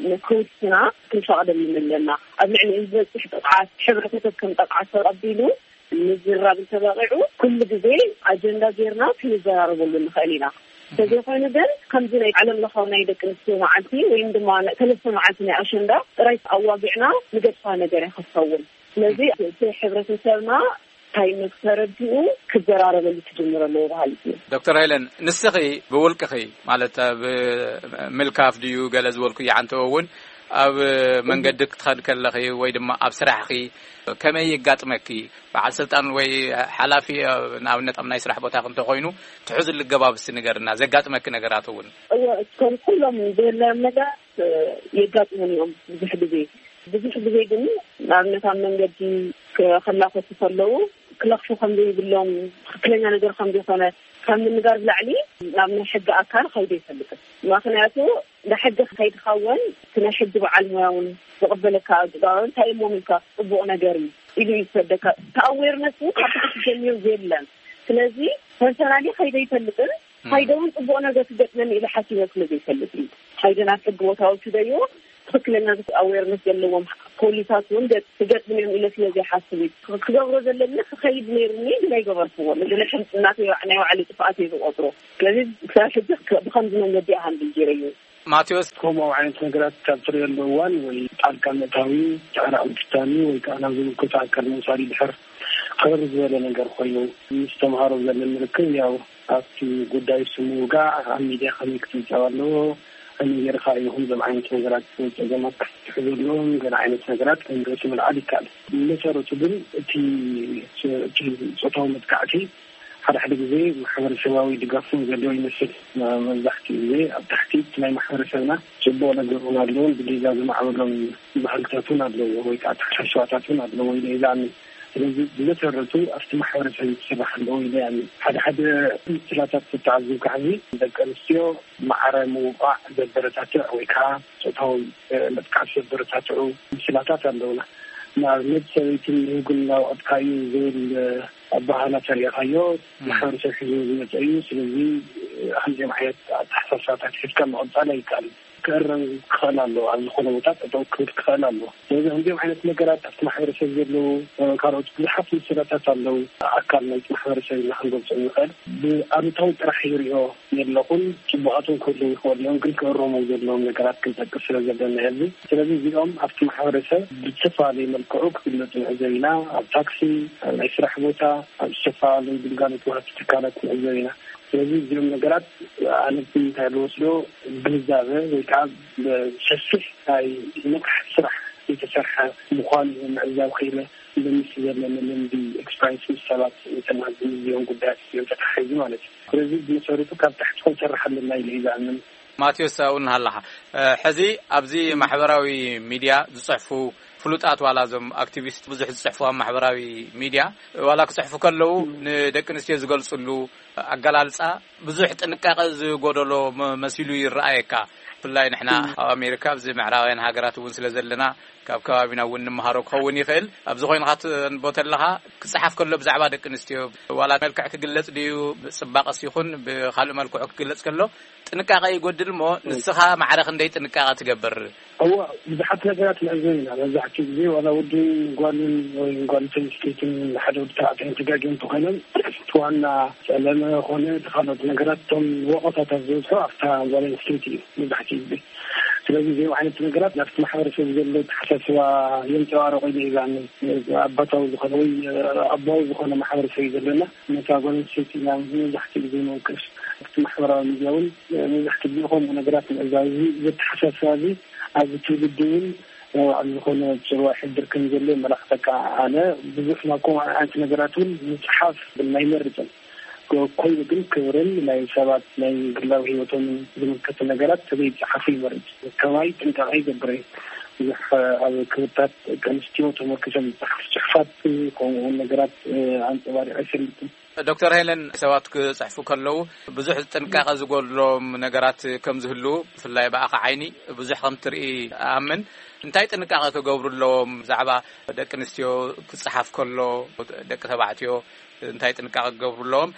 ክውስና ክንፈቕደለን ኣለና። ኣብ ልዕሊኡ ዝበፅሕ ጥቕዓት ሕብረተሰብ ከም ጥቕዓት ተቐቢሉ ምዝራብ እንተበቂዑ ኩሉ ግዜ ኣጀንዳ ጌርና ክንዘራረበሉ ንኽእል ኢና። እንተዘይኮይኑ ግን ከምዚ ናይ ዓለም ለኻዊ ናይ ደቂ ኣንስትዮ መዓልቲ ወይም ድማ ሰለስተ መዓልቲ ናይ ኣሸንዳ ጥራይ ኣዋጊዕና ንገድፋ ነገር እያ ክትኸውን። ስለዚ እቲ ሕብረተሰብና እንታይ ምስ ተረዲኡ ክዘራረበሉ ክጅምር ኣለዎ በሃሊት እየ። ዶክተር ሄለን ንስኺ ብውልቅኺ ማለት ኣብ ምልካፍ ድዩ ገለ ዝበልኩ ይዓንተዎ እውን ኣብ መንገዲ ክትኸድ ከለኺ ወይ ድማ ኣብ ስራሕኺ ከመይ የጋጥመኪ? በዓል ስልጣን ወይ ሓላፊ ንኣብነት ኣብ ናይ ስራሕ ቦታኺ እንተኾይኑ ትሕዙ ልገባብ እስቲ ንገርና ዘጋጥመኪ ነገራት እውን። እወ ከም ኩሎም ዘየለዮም ነገራት የጋጥሙን እዮም ብዙሕ ግዜ። ብዙሕ ግዜ ግን ንኣብነት ኣብ መንገዲ ክላፈቱ ከለዉ ክለኽፉ ከም ዘይብሎም ትኽክለኛ ነገር ከም ዘይኮነ ካብ ምንጋር ብላዕሊ ናብ ናይ ሕጊ ኣካል ከይደ ኣይፈልጥን። ምኽንያቱ ናይ ሕጊ ከይድካ እውን እቲ ናይ ሕጊ በዓል ሞያ እውን ዝቕበለካ ኣግባብ እንታይ እሞ ኢልካ ፅቡቕ ነገር እዩ ኢሉ እዩ ዝሰደካ። እቲ ኣዌርነስ እውን ካብ ታሕቲ ጀሚሩ የለን። ስለዚ ፐርሰናሊ ከይደ ኣይፈልጥን ሃይደ እውን ጽቡቕ ነገር ክገጥመኒ ኢለ ሓሲበ ስለ ዘይፈልጥ እዩ። ሃይደ ናብ ሕጊ ቦታ ወሲደዮ፣ ትኽክለኛ ኣዌርነስ ዘለዎም ፖሊሳት እውን ገጥ- ክገጥሙ እዮም ኢለ ስለ ዘይሓስብ እዩ። ክገብሮ ዘለኒ ክኸይድ ነይሩኒ፣ ግን ኣይገበርኩዎን። እዚ ናይ ሕም- እናተይ ናይ ባዕለይ ጥፍኣት እየ ዝቆጥሮ። ስለዚ ክሳብ ሕጂ ከ- ብኸምዚ መንገዲ እየ ሃንድል ገይረዮ። ማቴዎስ፣ ከምኡ ዓይነት ነገራት ካብ ትርእየሉ እዋን ወይ ጣልቃ ምእታዊ፣ ጻዕራቕ ምፍታኒ ወይ ከዓ ናብ ዝምልከቶ ኣካል ምውሳድ ድሕር ክብር ዝበለ ነገር ኮይኑ፣ ምስ ተምሃሮ ዘለኒ ርክብ ያው ኣብቲ ጉዳይ ስሙ ውጋዕ ኣብ ሚድያ ከመይ ክትንጸብ ኣለዎ፣ ከመይ ጌርካ እዩ ከምዞም ዓይነት ነገራት ጸገማት ክትፍትሑ ዘለዎም፣ ገለ ዓይነት ነገራት ከም ርእሲ ምልዓል ይከኣል። ብመሰረቱ ግን እቲ እቲ ጾታዊ መጥቃዕቲ ሓደ ሓደ ግዜ ማሕበረሰባዊ ድጋፍ እውን ዘለዎ ይመስል። መብዛሕትኡ ግዜ ኣብ ታሕቲ እቲ ናይ ማሕበረሰብና ጽቡቕ ነገር እውን ኣለዎን ብጌጋ ዝማዕበሎም ባህልታት እውን ኣለዎ ወይ ከዓ ኣተሓሳስባታት እውን ኣለዎ ኢለ እየ ዝኣምን። ስለዚ ብመሰረቱ ኣብቲ ማሕበረሰብ እዩ ክስራሕ ኣለዎ ኢለ ይኣምን። ሓደ ሓደ ምስላታት ክተዓዝብ ካሕዚ ደቂ ኣንስትዮ ማዕረ ምውቃዕ ዘበረታትዕ ወይ ከዓ ጾታዊ መጥቃዕቲ ዘበረታትዑ ምስላታት ኣለውና። ንኣብነት ሰበይትን ንህጉን እናወቐጥካ እዩ ዝብል ኣባህላ ተሪእኻዮ ማሕበረሰብ ሒዞ ዝመፀ እዩ። ስለዚ ከምዚኦም ዓይነት ኣተሓሳስባታት ሒዝካ ምቕፃል ኣይከኣልን። ክእረም ክኽእል ኣለዎ፣ ኣብ ዝኾነ ቦታ ጠጠው ክብል ክኽእል ኣለዎ። ስለዚ ከምዚኦም ዓይነት ነገራት ኣብቲ ማሕበረሰብ ዘለዉ ካልኦት ብዙሓት ምስላታት ኣለዉ። ኣካል ናይቲ ማሕበረሰብ ኢልና ክንገልፆ ንኽእል። ብኣሉታዊ ጥራሕ ይሪኦ የለኹን። ፅቡቓት እውን ክህልዉ ይኽእሉ እዮም፣ ግን ክእረሙ ዘለዎም ነገራት ክንጠቅስ ስለ ዘለና እዚ። ስለዚ እዚኦም ኣብቲ ማሕበረሰብ ብዝተፈላለየ መልክዑ ክግለፁ ንዕዘብ ኢና። ኣብ ታክሲ፣ ኣብ ናይ ስራሕ ቦታ፣ ኣብ ዝተፈላለዩ ግልጋሎት ወሃብቲ ትካላት ንዕዘብ ኢና። ስለዚ እዚኦም ነገራት ኣነ እንታይ ዝወስዶ ግንዛበ ወይ ከዓ ብሰፊሕ ናይ ንቕሓት ስራሕ ዝተሰርሐ ምዃኑ ምዕዛብ ክኢለ። ልምስ ዘለና ልምዲ ኤክስፐሪንስ ምስ ሰባት ተማሃዝኒ እዚኦም ጉዳያት እዚኦም ተተሓሒዙ ማለት እዩ። ስለዚ ብመሰረቱ ካብ ታሕቲ ክንሰርሕ ኣለና ኢለ እዩ ዝኣምን። ማቴዎስ ኣብኡ እናሃለኻ ሕዚ ኣብዚ ማሕበራዊ ሚድያ ዝፅሕፉ ፍሉጣት ዋላ እዞም ኣክቲቪስት ብዙሕ ዝፅሕፉ ኣብ ማሕበራዊ ሚድያ ዋላ ክፅሕፉ ከለዉ ንደቂ ኣንስትዮ ዝገልፅሉ ኣገላልፃ ብዙሕ ጥንቃቐ ዝጎደሎ መሲሉ ይረኣየካ። ብፍላይ ንሕና ኣብ ኣሜሪካ ኣብዚ ምዕራባውያን ሃገራት እውን ስለ ዘለና ካብ ከባቢና እውን ንምሃሮ ክኸውን ይኽእል። ኣብዚ ኮይንካ ትንቦ ተለኻ ክፀሓፍ ከሎ ብዛዕባ ደቂ ኣንስትዮ ዋላ መልክዕ ክግለፅ ድዩ ብፅባቐስ ይኹን ብካልእ መልክዑ ክግለፅ ከሎ ጥንቃቐ ይጎድል እሞ ንስኻ ማዕረ ክንደይ ጥንቃቐ ትገብር? እዋ ብዙሓት ነገራት ንዕዘብ ኢና። መብዛሕትኡ ግዜ ዋላ ወድን ጓልን ወይ ጓል ኣንስተይትን ሓደ ወዲ ተባዕታይ ተጋግዮም እንተኮይኖም እቲ ዋና ጸለመ ኮነ እቲ ካልኦት ነገራት እቶም ወቀሳታት ዝበዝሑ ኣብታ ጓል ኣንስተይቲ እዩ መብዛሕትኡ ግዜ። ስለዚ እዚኦም ዓይነት ነገራት ናብቲ ማሕበረሰብ ዘሎ ተሓሳስባ የንጸባረቆ ኢለ እየ ዝኣምን። ኣባታዊ ዝኾነ ወይ ኣባዊ ዝኾነ ማሕበረሰብ እዩ ዘለና። ነታ ጓል ኣንስተይቲ ኢና መብዛሕትኡ ግዜ ንወቅስ። ኣብቲ ማሕበራዊ ሚድያ እውን መብዛሕትኡ ግዜ ከምኡ ነገራት ንዕዘብ። እዚ ዘተሓሳስባ እዚ ኣብዚ ትውልዲ እውን ናይ ባዕሉ ዝኾነ ጽልዋ ይሕድር ከም ዘሎ የመላኽተካ። ኣነ ብዙሕ ናብ ከምኡ ዓይነት ነገራት እውን ምጽሓፍ ኣይመርጽን። ኮይኑ ግን ክብርን ናይ ሰባት ናይ ግላዊ ህይወቶምን ዝምልከቱ ነገራት ተዘይጸሓፉ ይመርጽ። ከማይ ጥንቃቐ ይገብር እየ። ብዙሕ ኣብ ክብርታት ደቂ ኣንስትዮ ተመርኪሶም ዝጸሓፉ ጽሑፋት ከምኡ እውን ነገራት ኣንጸባሪቐ ኣይፈልጥን። ዶክተር ሄለን ሰባት ክጽሕፉ ከለዉ ብዙሕ ጥንቃቐ ዝጎድሎም ነገራት ከም ዝህልዉ ብፍላይ ብኣኻ ዓይኒ ብዙሕ ከም ትርኢ እኣምን። እንታይ ጥንቃቐ ክገብሩ ኣለዎም ብዛዕባ ደቂ ኣንስትዮ ክጽሓፍ ከሎ ደቂ ተባዕትዮ እንታይ ጥንቃቐ ክገብሩ ኣለዎም?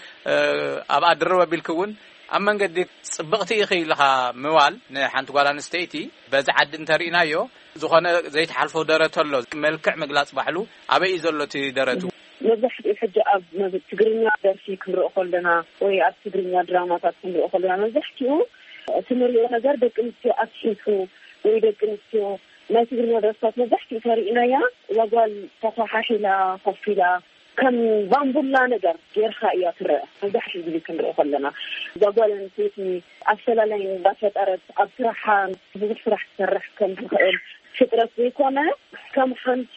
ኣብኣ ድርብ ኣቢልኪ እውን ኣብ መንገዲ ጽብቕቲ ኢኺ ኢልኻ ምባል ንሓንቲ ጓል ኣንስተይቲ በዚ ዓዲ እንተርኢናዮ ዝኾነ ዘይትሓልፎ ደረት ኣሎ። መልክዕ ምግላጽ ባዕሉ ኣበይ እዩ ዘሎ እቲ ደረቱ? መብዛሕትኡ ሕጂ ኣብ መብ- ትግርኛ ደርፊ ክንርኢ ከለና ወይ ኣብ ትግርኛ ድራማታት ክንርኢ ከለና መብዛሕትኡ እቲ ንሪኦ ነገር ደቂ ኣንስትዮ ኣስሒቱ ወይ ደቂ ኣንስትዮ ናይ ትግርኛ ደርፍታት መብዛሕትኡ ተሪእናያ እዛ ጓል ተኳሓሒላ ኮፍ ኢላ ከም ባምቡላ ነገር ጌርካ እያ ትረአ። መብዛሕትኡ ግዜ ክንርኢ ከለና እዛ ጓል ኣንስተይቲ ኣፈላላይ እንዳፈጠረት ኣብ ስራሓ ብዙሕ ስራሕ ትሰርሕ ከም ትኽእል ፍጥረት ዘይኮነ ከም ሓንቲ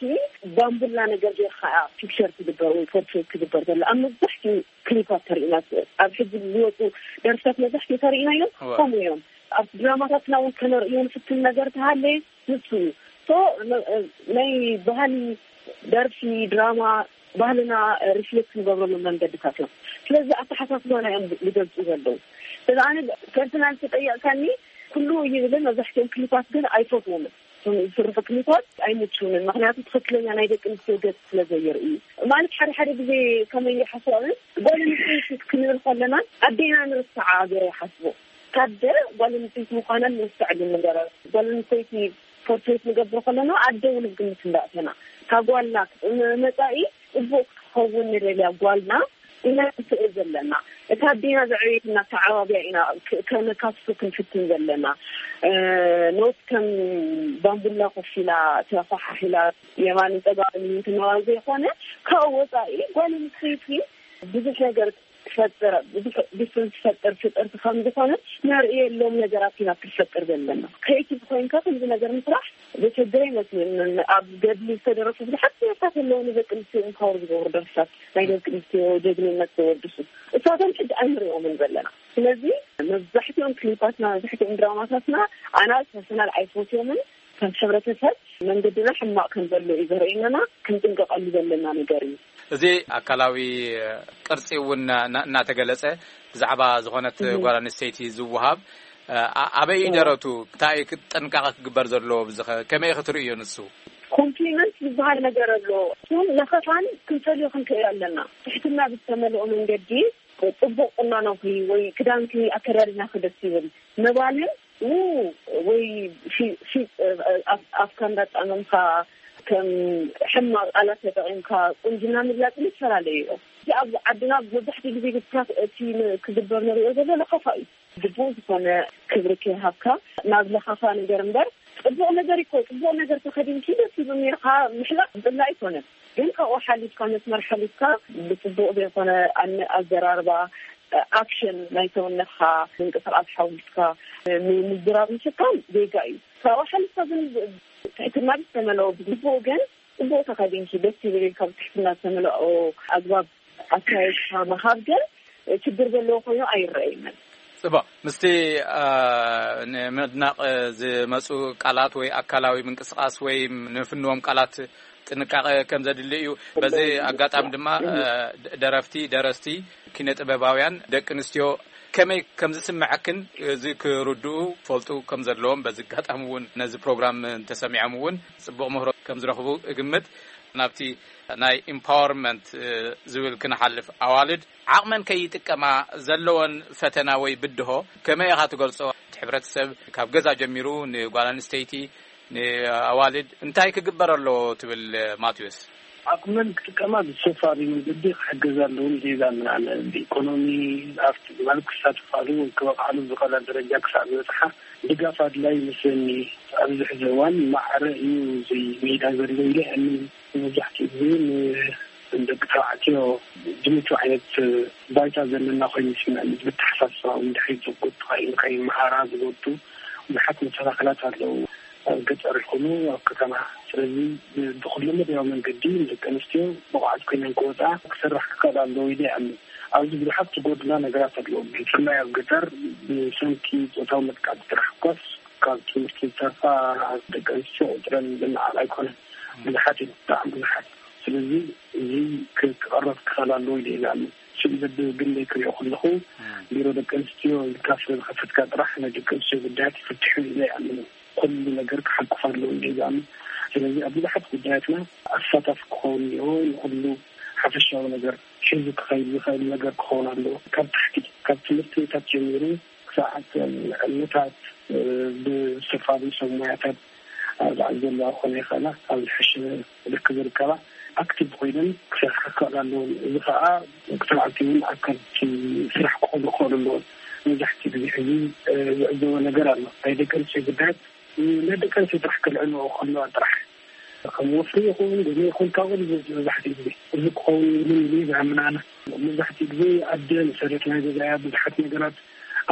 ባምቡላ ነገር ጌርካ እያ ፒክቸር ትግበር ወይ ፖርትሬት ትግበር ዘላ ኣብ መብዛሕትኡ ክሊፓት ተርእዩና። ኣብ ሕጂ ዝወፁ ደርፍታት መብዛሕትኡ ተርእዩና እዮም እዋ። ከምኡ እዮም ኣብቲ ድራማታትና እውን ከነርእዩ ንፍትን ነገር ተሃለየ ንሱ እዩ። ሶ ነ- ናይ ባህሊ ደርፊ ድራማ ባህልና ሪፍሌክት ንገብረሉ መንገድታት እዮም። ስለዚ ኣተሓሳስባና እዮም ዝገልፁ ዘለዉ። ስለዚ ኣነ ፐርሰናል ተጠየቕካኒ ኩሉ ይብልን መብዛሕትኦም ክሊፓት ግን ኣይፈትዎምን። ዝስርሑ ክሊፓት ኣይምችውንን። ምክንያቱ ትክክለኛ ናይ ደቂ ኣንስትዮ ገጽ ስለ ዘየርእዩ ማለት ሓደ ሓደ ግዜ ከመይ ይሓስባብን ጓል ኣንስተይቲ ክንብል ከለና ኣዴና ንርስዓ ገይረ ይሓስቡ። ካደ ጓል ኣንስተይቲ ምኳና ንርስዕ ግን ንገረ ጓል ኣንስተይቲ ፖርትሬት ንገብር ከለና ኣደ ውልብ ግምት እንዳእተና ካብ ጓልና መጻኢ ጽቡቅ ክትኸውን ንደልያ ጓልና ኢና ንስእል ዘለና። እታ ኣዴና ዘዕበየትና ኣተዓባብያ ኢና ከነካስሱ ክንፍትን ዘለና። ኖት ከም ባምቡላ ኮፍ ኢላ ተፋሓሒላ የማንን ጸጋምን ምትንባል ዘይኮነ ካብኡ ወጻኢ ጓል ኣንስተይቲ ብዙሕ ነገር ትፈጥር ብዙሕ ዲፍረንስ ትፈጥር ፍጥርቲ ከም ዝኾነ ነርእየሎም ነገራት ኢና ክትፈጥር ዘለና። ክሬቲቭ ኮይንካ ከምዚ ነገር ምስራሕ ዘቸግረ ይመስለኒ። ኣብ ገድሊ ዝተደረፉ ብዙሓት ስራሕታት ኣለዉ ንደቂ ኣንስትዮ ኢምፓወር ዝገብሩ ደርፍታት ናይ ደቂ ኣንስትዮ ጀግንነት ዘወድሱ እሳቶም ሕጂ ኣይንሪኦምን ዘለና። ስለዚ መብዛሕትኦም ክሊፓትና መብዛሕትኦም ድራማታትና ኣና ፐርሰናል ኣይፈትዮምን ከም ሕብረተሰብ መንገድና ሕማቕ ከም ዘሎ እዩ ዘርእየና። ክንጥንቀቐሉ ዘለና ነገር እዩ። እዚ ኣካላዊ ቅርጺ እውን እናተገለጸ ብዛዕባ ዝኾነት ጓል ኣንስተይቲ ዝወሃብ ኣበይ ደረቱ እንታይ ጥንቃቐ ክግበር ዘለዎ ብዝኸ ከመይ ክትርእዮ ንሱ? ኮምፕሊመንት ዝበሃል ነገር ኣሎ። እሱን ለኸፋን ክንፈልዮ ክንክእል ኣለና። ትሕትና ብዝተመልኦ መንገዲ ጽቡቕ ቁናኖኺ ወይ ክዳንኪ ኣከዳድናኺ ደስ ይብል ምባልን ው ወይ ኣፍካ እንዳጣመምካ ከም ሕማቕ ቃላት ተጠቒምካ ቁንጅና ምግላጽ ዝተፈላለዩ እዮም። እዚ ኣብ ዓድና መብዛሕትኡ ግዜ ግብታት እቲ ክግበር ንሪኦ ዘለና ለኸፋ እዩ። ግቡእ ዝኾነ ክብሪ ከይሃብካ ናብ ለኸፋ ነገር እምበር ጽቡቕ ነገር ይኮ ጽቡቕ ነገር ተኸዲንኪ ደስ ይብል ነርካ ምሕላቕ ብላ ኣይኮነን። ግን ካብኡ ሓሊፍካ መስመር ሓሊፍካ ብጽቡቕ ዘይኮነ ኣዘራርባ ኣክሽን ናይ ሰውነትካ ምንቅስቃስ ሓዊስካ ምዝራብ ምሽካል ጌጋ እዩ። ካብኡ ሓሊፍካ ግን ትሕትና ዝተመልኦ ብግቡእ ግን ጽቡቅ ተኸዲንኪ ደስ ይብል ኢልካ ብትሕትና ዝተመልኦ ኣግባብ ኣካየድካ ምሃብ ግን ችግር ዘለዎ ኮይኑ ኣይረኣይንን። ጽቡቅ ምስቲ ንምድናቕ ዝመፁ ቃላት ወይ ኣካላዊ ምንቅስቃስ ወይ ንፍንዎም ቃላት ጥንቃቐ ከም ዘድሊ እዩ። በዚ ኣጋጣሚ ድማ ደረፍቲ፣ ደረስቲ፣ ኪነ ጥበባውያን ደቂ ኣንስትዮ ከመይ ከም ዝስምዐክን እዚ ክርድኡ ፈልጡ ከም ዘለዎም በዚ ኣጋጣሚ እውን ነዚ ፕሮግራም እንተሰሚዖም እውን ጽቡቕ ምህሮ ከም ዝረኽቡ እግምት። ናብቲ ናይ ኢምፓወርመንት ዝብል ክንሓልፍ ኣዋልድ ዓቕመን ከይጥቀማ ዘለወን ፈተና ወይ ብድሆ ከመይ ኢኻ ትገልጾ? እቲ ሕብረተሰብ ካብ ገዛ ጀሚሩ ንጓል ኣንስተይቲ ንኣዋልድ እንታይ ክግበር ኣለዎ ትብል ማቴዎስ? ዓቕመን ክጥቀማ ብዝተፈላለዩ መንገዲ ክሕገዛ ኣለውን ዜጋ ምናለ ብኢኮኖሚ ኣብቲ ማለት ክሳተፋሉ ወይ ክበቕዓሉ ዝኽእላ ደረጃ ክሳዕ ዝበፅሓ ድጋፍ ኣድላይ ይመስለኒ። ኣብዚ ሕዚ እዋን ማዕረ እዩ እዚ ሜዳ ዘሎ ኢለ እኣምን። መብዛሕትኡ ግዜ ንደቂ ተባዕትዮ ዝምቹ ዓይነት ባይታ ዘለና ኮይኑ ይስምዐኒ። ብተሓሳስባ እውን ድሕሪት ዘጎቱ ከይምሓራ ዝጎቱ ብዙሓት መሰናኽላት ኣለዉ። ኣብ ገጠር ይኹኑ ኣብ ከተማ። ስለዚ ብኩሉ መዳያዊ መንገዲ ንደቂ ኣንስትዮ ብቑዓት ኮይነን ክወፅኣ ክስራሕ ክከኣል ኣለዎ ኢለ ይኣምን። ኣብዚ ብዙሓት ዝጎድላ ነገራት ኣለዉ። ብፍላይ ኣብ ገጠር ብሰንኪ ፆታዊ መጥቃዕቲ ጥራሕ እኳስ ካብ ትምህርቲ ዝተርፋ ደቂ ኣንስትዮ ቁፅረን ዝነዓቕ ኣይኮነን። ብዙሓት እዮም፣ ብጣዕሚ ብዙሓት። ስለዚ እዚ ክቐረፍ ክኸል ኣለዎ ኢለ ይኣምን። ስም ዘብል ግን ክሪኦ ከለኹ ቢሮ ደቂ ኣንስትዮ ኢልካ ስለ ዝኸፈትካ ጥራሕ ናይ ደቂ ኣንስትዮ ጉዳያት ይፍትሑ ኢለ ይኣምን። ኩሉ ነገር ክሓቁፍ ኣለዎ ኢለ ይኣምን። ስለዚ ኣብ ብዙሓት ጉዳያትና ኣሳታፊ ክኸውን እኒኦ። ንኩሉ ሓፈሻዊ ነገር ሒዙ ክኸይድ ዝኽእል ነገር ክኸውን ኣለዎ። ካብ ታሕቲ ካብ ትምህርቲ ቤታት ጀሚሩ ክሳዕ ዕልታት ብዝተፈላለዩ ሰብ ሞያታት ኣብ በዓል ዘለዋ ክኾና ይኽእላ፣ ኣብ ዝሐሸ ርክብ ዝርከባ ኣክቲቭ ኮይነን ክሰርሓ ክኽእላ ኣለወን። እዚ ከዓ ተባዕትዮ እውን ኣካል እቲ ስራሕ ክኾኑ ክኽእሉ ኣለዎም። መብዛሕትኡ ግዜ ሕዚ ዝዕዘቦ ነገር ኣሎ። ናይ ደቂ ኣንስትዮ ጉዳያት ንደቂ ኣንስትዮ ጥራሕ ከልዕልዎ ከለዋ ጥራሕ ከም ወፍሪ ይኹን ገለ ይኹን ካብኡ ንዝብል መብዛሕትኡ ግዜ እዚ ክኸውን ይብልን ኢሉ ይዝዕምናና። መብዛሕትኡ ግዜ ኣደ ንሰደት ናይ ገዛያ ብዙሓት ነገራት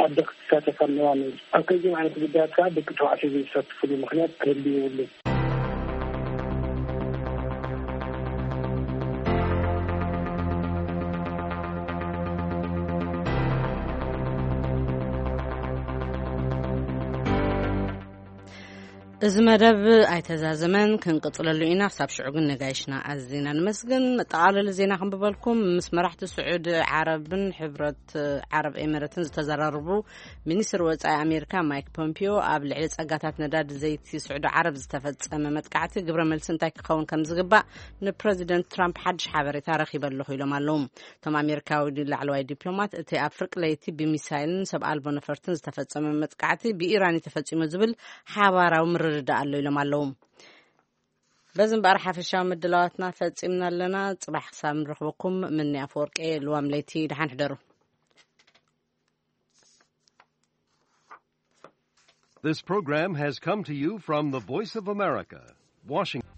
ኣደ ክትሳተፍ ኣለዋ ንብል። ኣብ ከምዚኦም ዓይነት ጉዳያት ከዓ ደቂ ተባዕትዮ ዘይሳትፍሉ ምኽንያት ክህሉ የብሉን። እዚ መደብ ኣይተዛዘመን፣ ክንቅጽለሉ ኢና። ክሳብ ሽዑ ግን ነጋይሽና ኣዚና ንመስግን። መጠቓለሊ ዜና ክንብበልኩም። ምስ መራሕቲ ስዑድ ዓረብን ሕብረት ዓረብ ኤምረትን ዝተዘራረቡ ሚኒስትር ወጻኢ ኣሜሪካ ማይክ ፖምፒዮ፣ ኣብ ልዕሊ ጸጋታት ነዳዲ ዘይቲ ስዑዲ ዓረብ ዝተፈጸመ መጥቃዕቲ ግብረ መልሲ እንታይ ክኸውን ከም ዝግባእ ንፕረዚደንት ትራምፕ ሓድሽ ሓበሬታ ረኺበ ኣለኹ ኢሎም ኣለዉ። እቶም ኣሜሪካዊ ላዕለዋይ ዲፕሎማት፣ እቲ ኣብ ፍርቂ ለይቲ ብሚሳይልን ሰብ ኣልቦ ነፈርትን ዝተፈጸመ መጥቃዕቲ ብኢራን እዩ ተፈጺሙ ዝብል ሓባራዊ ምርድዳእ ኣሎ ኢሎም ኣለዉ። በዚ እምበኣር ሓፈሻዊ ምድላዋትና ፈጺምና ኣለና። ጽባሕ ክሳብ ንረኽበኩም፣ ምኒ ኣፈወርቂ፣ ልዋም ለይቲ፣ ደሓን ሕደሩ። This program has come to you from the Voice of America, Washington.